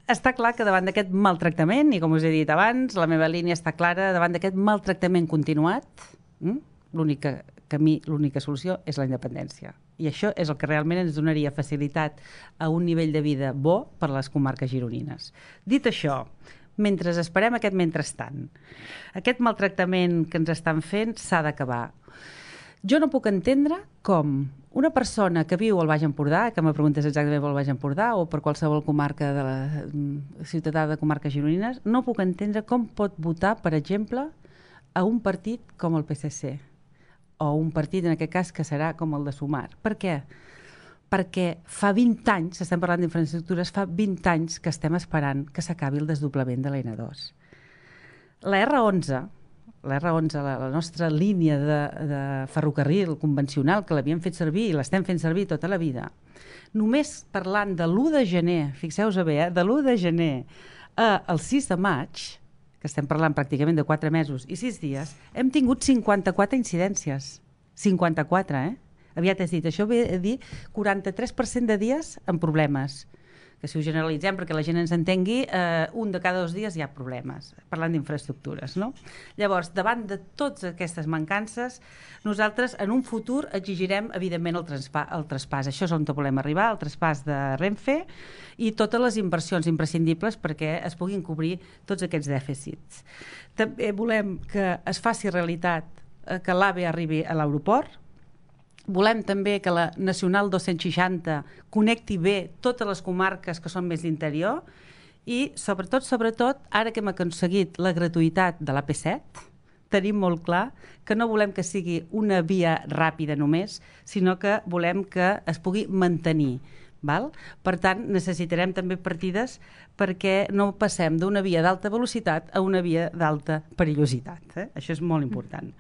Està clar que davant d'aquest maltractament, i com us he dit abans, la meva línia està clara, davant d'aquest maltractament continuat, l'únic camí, l'única solució és la independència. I això és el que realment ens donaria facilitat a un nivell de vida bo per a les comarques gironines. Dit això, mentre esperem aquest mentrestant, aquest maltractament que ens estan fent s'ha d'acabar. Jo no puc entendre com una persona que viu al Baix Empordà, que me preguntes exactament pel Baix Empordà o per qualsevol comarca de la ciutadà de comarques gironines, no puc entendre com pot votar, per exemple, a un partit com el PSC o un partit, en aquest cas, que serà com el de Sumar. Per què? Perquè fa 20 anys, estem parlant d'infraestructures, fa 20 anys que estem esperant que s'acabi el desdoblament de la N2. La R11, la nostra línia de ferrocarril convencional, que l'havíem fet servir i l'estem fent servir tota la vida, només parlant de l'1 de gener, fixeu-vos bé, de l'1 de gener al 6 de maig, que estem parlant pràcticament de 4 mesos i 6 dies, hem tingut 54 incidències. 54, Aviat has dit, això ve a dir 43% de dies amb problemes. Que si ho generalitzem perquè la gent ens entengui, un de cada 2 dies hi ha problemes, parlant d'infraestructures, no? Llavors, davant de totes aquestes mancances, nosaltres en un futur exigirem, evidentment, el traspàs. Això és on volem arribar, el traspàs de Renfe i totes les inversions imprescindibles perquè es puguin cobrir tots aquests dèficits. També volem que es faci realitat que l'AVE arribi a l'aeroport. Volem també que la Nacional 260 connecti bé totes les comarques que són més d'interior i, sobretot, ara que hem aconseguit la gratuïtat de l'AP7, tenim molt clar que no volem que sigui una via ràpida només, sinó que volem que es pugui mantenir. Val? Per tant, necessitarem també partides perquè no passem d'una via d'alta velocitat a una via d'alta perillositat. Això és molt important.